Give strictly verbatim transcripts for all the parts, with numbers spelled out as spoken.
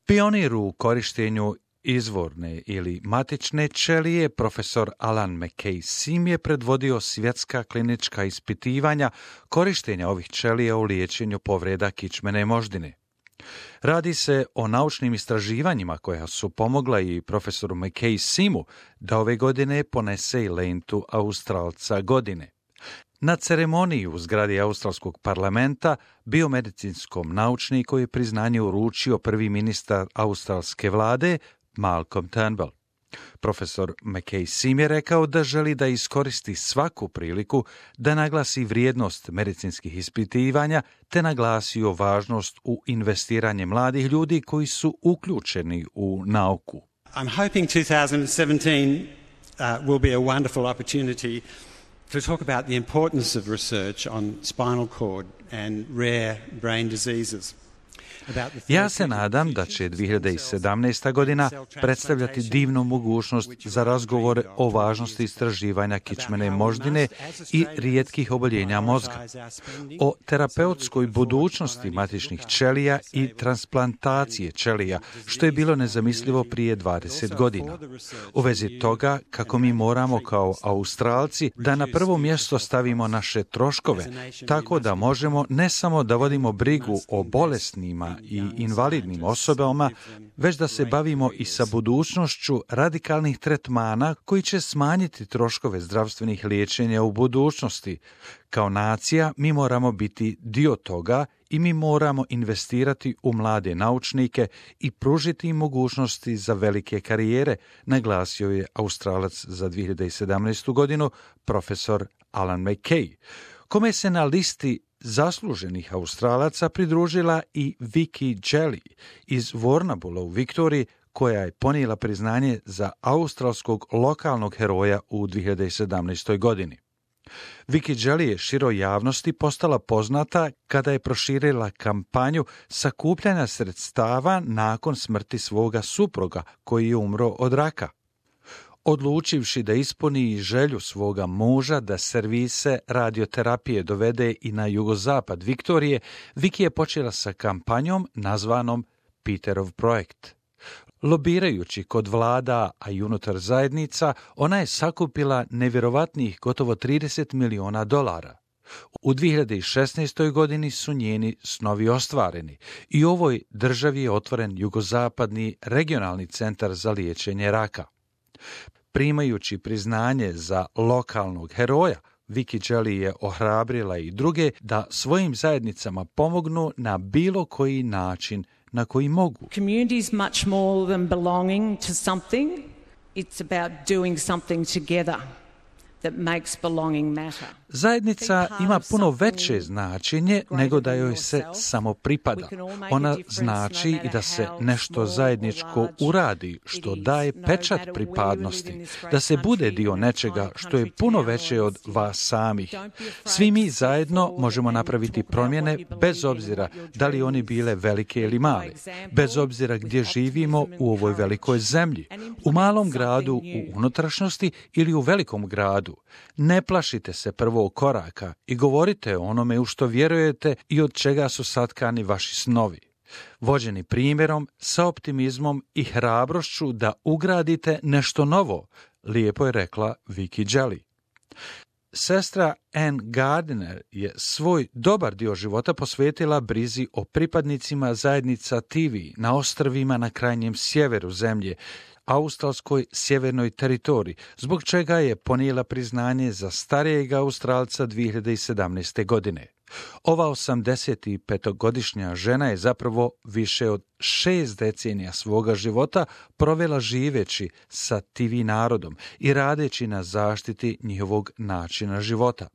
Pionir u korištenju izvorne ili matične ćelije, profesor Alan McKay Sim je predvodio svjetska klinička ispitivanja korištenja ovih ćelija u liječenju povreda kičmene moždine. Radi se o naučnim istraživanjima koja su pomogla i profesoru McKay Simu da ove godine ponese i lentu Australca godine. Na ceremoniji u zgradi Australskog parlamenta biomedicinskom naučniku je priznanje uručio prvi ministar australske vlade Malcolm Turnbull. Profesor McKay Sim je rekao da želi da iskoristi svaku priliku da naglasi vrijednost medicinskih ispitivanja te naglasio važnost u investiranje mladih ljudi koji su uključeni u nauku. I'm hoping twenty seventeen uh, will be a wonderful opportunity to talk about the importance of research on spinal cord and rare brain diseases. Ja se nadam da će dvije hiljade sedamnaesta. godina predstavljati divnu mogućnost za razgovore o važnosti istraživanja kičmene moždine i rijetkih oboljenja mozga, o terapeutskoj budućnosti matičnih ćelija i transplantacije ćelija, što je bilo nezamislivo prije dvadeset godina. U vezi toga kako mi moramo kao Australci da na prvo mjesto stavimo naše troškove, tako da možemo ne samo da vodimo brigu o bolesnima i invalidnim osobama, već da se bavimo i sa budućnošću radikalnih tretmana koji će smanjiti troškove zdravstvenih liječenja u budućnosti. Kao nacija mi moramo biti dio toga i mi moramo investirati u mlade naučnike i pružiti im mogućnosti za velike karijere, naglasio je Australac za dvije hiljade sedamnaestu. godinu profesor Alan McKay, kome se na listi zasluženih Australaca pridružila i Vicky Jelly iz Warrnambool u Viktoriji, koja je ponijela priznanje za australskog lokalnog heroja u dvije hiljade sedamnaestoj. godini. Vicky Jelly je široj javnosti postala poznata kada je proširila kampanju sakupljanja sredstava nakon smrti svoga supruga koji je umro od raka. Odlučivši da ispuni želju svoga muža da servise radioterapije dovede i na jugozapad Viktorije, Vicky je počela sa kampanjom nazvanom Peterov projekt. Lobirajući kod vlada, a i unutar zajednica, ona je sakupila nevjerovatnih gotovo trideset miliona dolara. U dvije hiljade šesnaestoj. godini su njeni snovi ostvareni i u ovoj državi je otvoren jugozapadni regionalni centar za liječenje raka. Primajući priznanje za lokalnog heroja, Vicky Jelly je ohrabrila i druge da svojim zajednicama pomognu na bilo koji način na koji mogu. Community is much more than belonging to something. It's about doing something together that makes belonging matter. Zajednica ima puno veće značenje nego da joj se samo pripada. Ona znači i da se nešto zajedničko uradi, što daje pečat pripadnosti, da se bude dio nečega što je puno veće od vas samih. Svi mi zajedno možemo napraviti promjene bez obzira da li oni bile velike ili male, bez obzira gdje živimo u ovoj velikoj zemlji, u malom gradu u unutrašnjosti ili u velikom gradu. Ne plašite se prvo koraka i govorite o onome u što vjerujete i od čega su satkani vaši snovi. Vođeni primjerom, sa optimizmom i hrabrošću da ugradite nešto novo, lijepo je rekla Vicky Jelly. Sestra Ann Gardiner je svoj dobar dio života posvetila brizi o pripadnicima zajednica Tivi na ostrvima na krajnjem sjeveru zemlje, australskoj sjevernoj teritoriji, zbog čega je ponijela priznanje za starijeg Australca dvije hiljade sedamnaeste. godine. Ova osamdesetpetogodišnja žena je zapravo više od šest decenija svoga života provela živeći sa Tivi narodom i radeći na zaštiti njihovog načina života.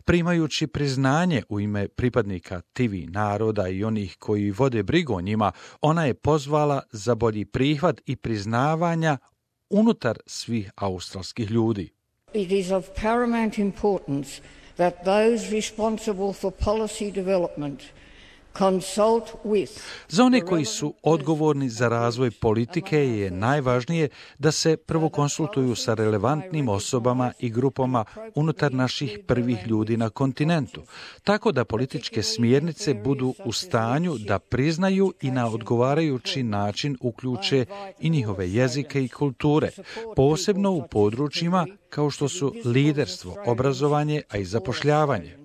Primajući priznanje u ime pripadnika Tivi naroda i onih koji vode brigu o njima, ona je pozvala za bolji prihvat i priznavanja unutar svih australskih ljudi. It is of paramount importance that those responsible for policy development consult with. Za one koji su odgovorni za razvoj politike je najvažnije da se prvo konsultuju sa relevantnim osobama i grupama unutar naših prvih ljudi na kontinentu, tako da političke smjernice budu u stanju da priznaju i na odgovarajući način uključe i njihove jezike i kulture, posebno u područjima kao što su liderstvo, obrazovanje, a i zapošljavanje.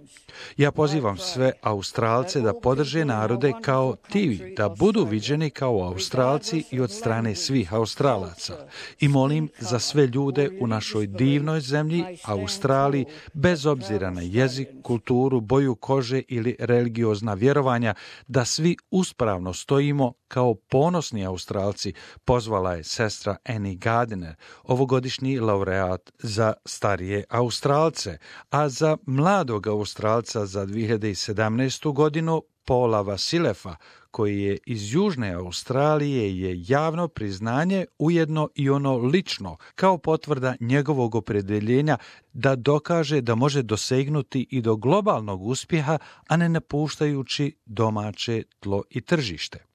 Ja pozivam sve Australce da podrže narode kao ti, da budu viđeni kao Australci i od strane svih Australaca. I molim za sve ljude u našoj divnoj zemlji, Australiji, bez obzira na jezik, kulturu, boju kože ili religiozna vjerovanja, da svi uspravno stojimo kao ponosni Australci, pozvala je sestra Annie Gardiner, ovogodišnji laureat za starije Australce, a za mladog Australca za dvije hiljade sedamnaestu. godinu Paula Vasilefa, koji je iz Južne Australije, je javno priznanje, ujedno i ono lično, kao potvrda njegovog opredjeljenja da dokaže da može dosegnuti i do globalnog uspjeha, a ne napuštajući domaće tlo i tržište.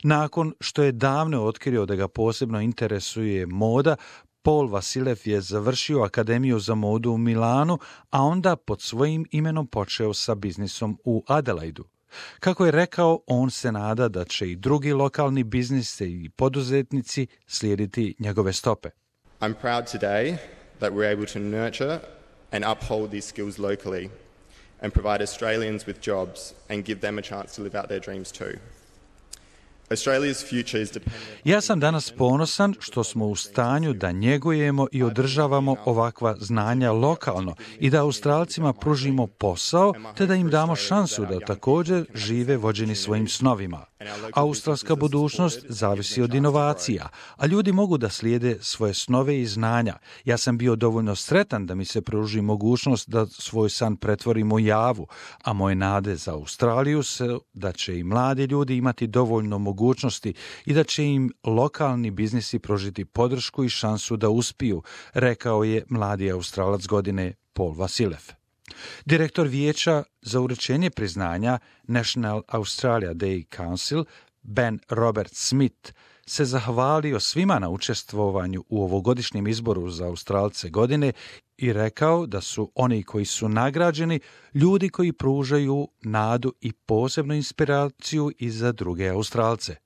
Nakon što je davno otkrio da ga posebno interesuje moda, Paul Vasilev je završio Akademiju za modu u Milanu, a onda pod svojim imenom počeo sa biznisom u Adelaidu. Kako je rekao, on se nada da će i drugi lokalni biznisi i poduzetnici slijediti njegove stope. I'm proud today that we're able to nurture and uphold these skills locally and provide Australians with jobs and give them a chance to live out their dreams too. Ja sam danas ponosan što smo u stanju da njegujemo i održavamo ovakva znanja lokalno i da Australcima pružimo posao te da im damo šansu da također žive vođeni svojim snovima. Australska budućnost zavisi od inovacija, a ljudi mogu da slijede svoje snove i znanja. Ja sam bio dovoljno sretan da mi se pruži mogućnost da svoj san pretvorim u javu, a moje nade za Australiju su da će i mladi ljudi imati dovoljno mogućnosti i da će im lokalni biznisi pružiti podršku i šansu da uspiju, rekao je mladi Australac godine Paul Vasilev. Direktor vijeća za uručenje priznanja National Australia Day Council, Ben Robert Smith, se zahvalio svima na učestvovanju u ovogodišnjem izboru za Australce godine i rekao da su oni koji su nagrađeni ljudi koji pružaju nadu i posebnu inspiraciju i za druge Australce.